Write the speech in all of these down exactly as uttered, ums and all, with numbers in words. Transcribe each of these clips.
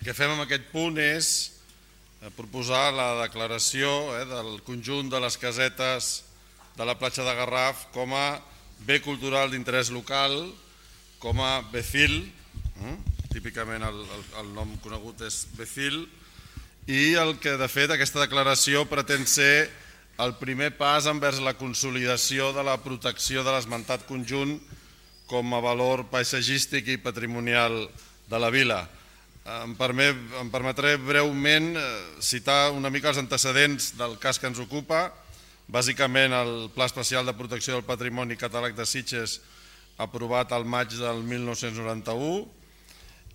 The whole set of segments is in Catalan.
que fem amb aquest punt és proposar la declaració del conjunt de les casetes de la platja de Garraf com a bé cultural d'interès local, com a B C I L, típicament el nom conegut és B C I L, i el que de fet aquesta declaració pretén ser el primer pas envers la consolidació de la protecció de l'esmentat conjunt com a valor paisatgístic i patrimonial de la vila. Em permetré breument citar una mica els antecedents del cas que ens ocupa, bàsicament el Pla Especial de Protecció del Patrimoni Catàleg de Sitges aprovat al maig del mil nou-cents noranta-u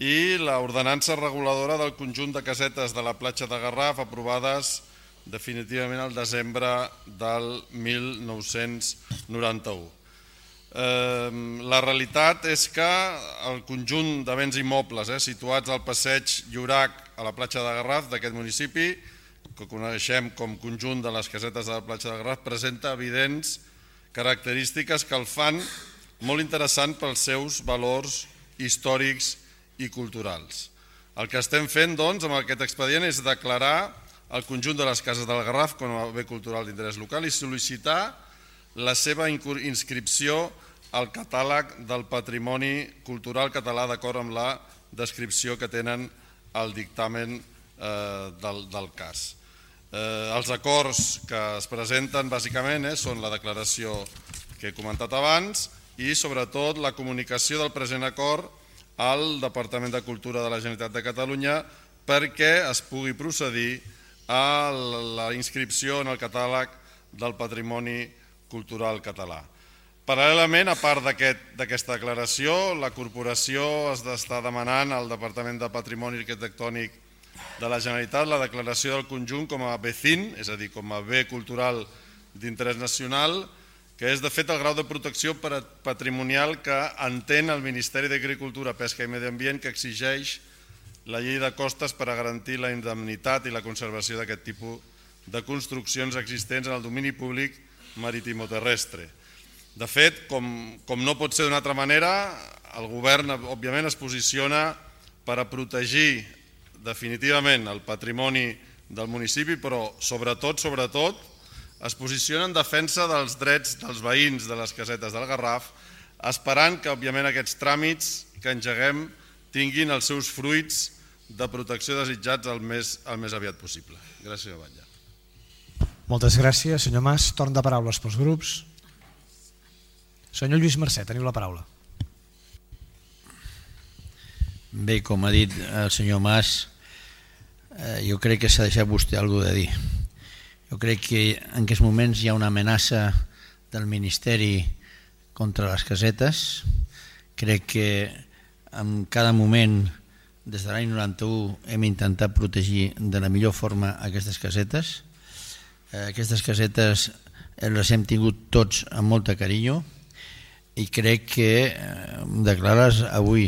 i l'ordenança reguladora del conjunt de casetes de la platja de Garraf aprovades definitivament al desembre del mil nou-cents noranta-u. La realitat és que el conjunt de béns immobles situats al passeig Llorac a la platja de Garraf d'aquest municipi, que coneixem com conjunt de les casetes de la platja de Garraf, presenta evidents característiques que el fan molt interessant pels seus valors històrics i culturals. El que estem fent doncs amb aquest expedient és declarar el conjunt de les cases del Garraf com a bé cultural d'interès local i sol·licitar la seva inscripció al catàleg del patrimoni cultural català d'acord amb la descripció que tenen al dictamen del cas. Els acords que es presenten bàsicament són la declaració que he comentat abans i sobretot la comunicació del present acord al Departament de Cultura de la Generalitat de Catalunya perquè es pugui procedir a la inscripció en el catàleg del patrimoni cultural català. Paral·lelament, a part d'aquesta declaració, la corporació està demanant al Departament de Patrimoni Arquitectònic de la Generalitat la declaració del conjunt com a B C I N, és a dir, com a bé cultural d'interès nacional, que és de fet el grau de protecció patrimonial que entén el Ministeri d'Agricultura, Pesca i Medi Ambient que exigeix la llei de costes per a garantir la indemnitat i la conservació d'aquest tipus de construccions existents en el domini públic maritimoterrestre. De fet, com no pot ser d'una altra manera, el govern òbviament es posiciona per a protegir definitivament el patrimoni del municipi, però sobretot, sobretot, es posiciona en defensa dels drets dels veïns de les casetes del Garraf, esperant que, òbviament, aquests tràmits que engeguem tinguin els seus fruits de protecció desitjats el més aviat possible. Gràcies, Batlle. Moltes gràcies, senyor Mas. Torn de paraules pels grups. Senyor Lluís Mercè, teniu la paraula. Bé, com ha dit el senyor Mas, jo crec que s'ha deixat vostè alguna cosa de dir. Jo crec que en aquests moments hi ha una amenaça del Ministeri contra les casetes. Crec que en cada moment, des de l'any noranta-u, hem intentat protegir de la millor forma aquestes casetes. Aquestes casetes les hem tingut tots amb molta carinyo i crec que declarar-les avui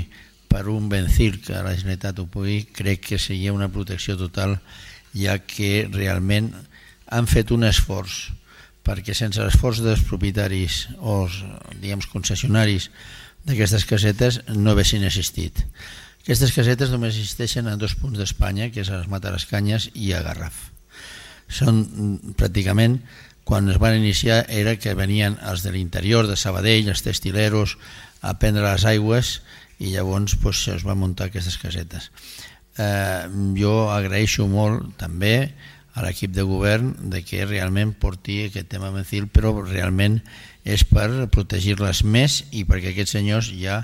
per un vencil que la Generalitat ho pugui, crec que seria una protecció total, ja que realment han fet un esforç perquè sense l'esforç dels propietaris o diguem concessionaris d'aquestes casetes no haguessin existit. Aquestes casetes només existeixen en dos punts d'Espanya, que és a les Matarascanyes i a Garraf. Són pràcticament, quan es van iniciar, era que venien els de l'interior, de Sabadell, els textileros, a prendre les aigües i llavors es van muntar aquestes casetes. Jo agraeixo molt també a l'equip de govern de que realment porti aquest tema vencil, però realment és per protegir-les més i perquè aquests senyors ja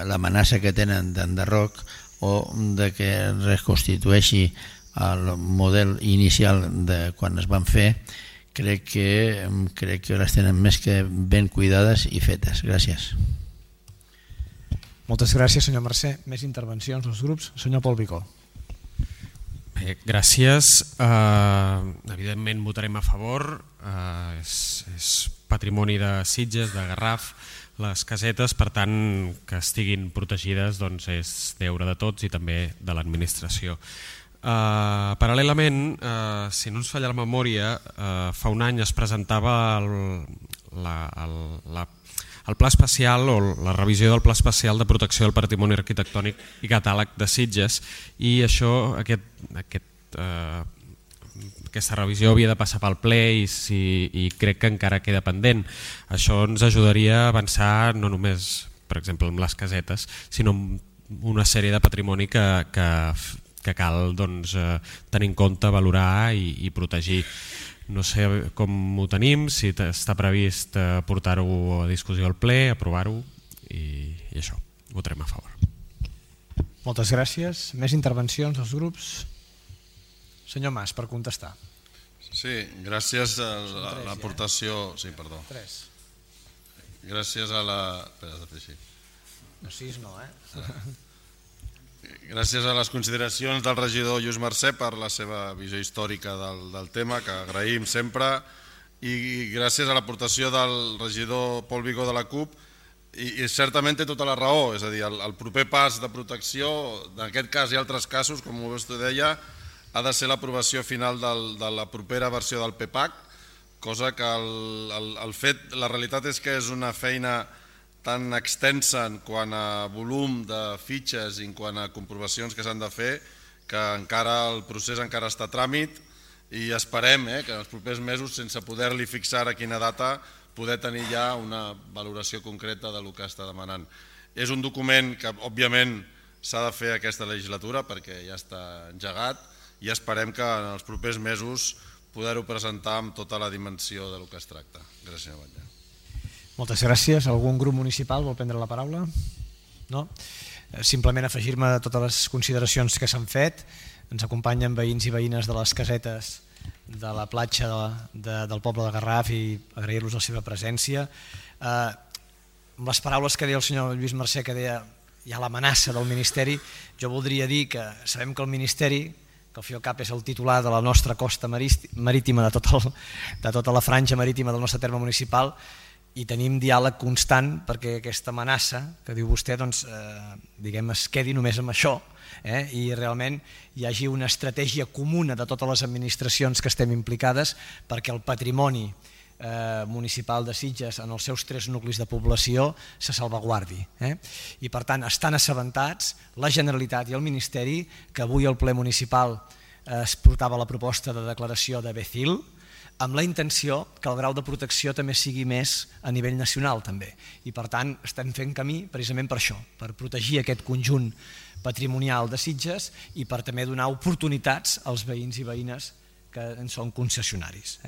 l'amenaça que tenen d'enderroc o de que es reconstitueixi el model inicial de quan es van fer, crec que, crec que les tenen més que ben cuidades i fetes. Gràcies. Moltes gràcies, senyor Mercè. Més intervencions dels grups. Senyor Pol Bicó. Bé, gràcies. Uh, evidentment votarem a favor. Uh, és, és patrimoni de Sitges, de Garraf, les casetes, per tant que estiguin protegides doncs és deure de tots i també de l'administració. Uh, paral·lelament, uh, si no ens falla la memòria, uh, fa un any es presentava el, la, el, la, el pla especial o la revisió del pla especial de protecció del patrimoni arquitectònic i catàleg de Sitges, i això, aquest, aquest, eh, aquesta revisió havia de passar pel ple i, si, i crec que encara queda pendent. Això ens ajudaria a avançar no només, per exemple, amb les casetes, sinó amb una sèrie de patrimoni que, que, que cal doncs, eh, tenir en compte, valorar i, i protegir. No sé com ho tenim, si està previst eh, portar-ho a discussió al ple, aprovar-ho i, i això, votarem a favor. Moltes gràcies. Més intervencions dels grups? Senyor Mas, per contestar. Sí, gràcies a l'aportació... Sí, perdó. Tres. Gràcies a la... Espera, has de fer així. No, sis no, eh? Gràcies a les consideracions del regidor Lluís Mercè per la seva visió històrica del, del tema, que agraïm sempre, i gràcies a l'aportació del regidor Pol Vigó de la CUP, i, i certament té tota la raó, és a dir, el, el proper pas de protecció, en aquest cas i altres casos, com vostè deia, ha de ser l'aprovació final del, de la propera versió del P PAC, cosa que el, el, el fet, la realitat és que és una feina tan extensa en quant a volum de fitxes i en quant a comprovacions que s'han de fer, que encara el procés encara està a tràmit i esperem eh, que en els propers mesos, sense poder-li fixar a quina data, poder tenir ja una valoració concreta del que està demanant. És un document que, òbviament, s'ha de fer aquesta legislatura perquè ja està engegat i esperem que en els propers mesos poder-ho presentar amb tota la dimensió del que es tracta. Gràcies, senyor Batlle. Moltes gràcies. Algun grup municipal vol prendre la paraula? No? Simplement afegir-me a totes les consideracions que s'han fet. Ens acompanyen veïns i veïnes de les casetes de la platja de, de, del poble de Garraf i agrair-los la seva presència. Eh, amb les paraules que deia el senyor Lluís Mercè, que deia hi ha l'amenaça del Ministeri, jo voldria dir que sabem que el Ministeri, que al fi i al cap és el titular de la nostra costa marítima, de, tot el, de tota la franja marítima del nostre terme municipal, i tenim diàleg constant perquè aquesta amenaça que diu vostè doncs, eh, diguem, es quedi només amb això eh, i realment hi hagi una estratègia comuna de totes les administracions que estem implicades perquè el patrimoni eh, municipal de Sitges en els seus tres nuclis de població se salvaguardi. Eh? I per tant estan assabentats la Generalitat i el Ministeri que avui al ple municipal eh, es portava la proposta de declaració de B C I L amb la intenció que el grau de protecció també sigui més a nivell nacional també. I per tant estem fent camí precisament per això, per protegir aquest conjunt patrimonial de Sitges i per també donar oportunitats als veïns i veïnes que en són concessionaris.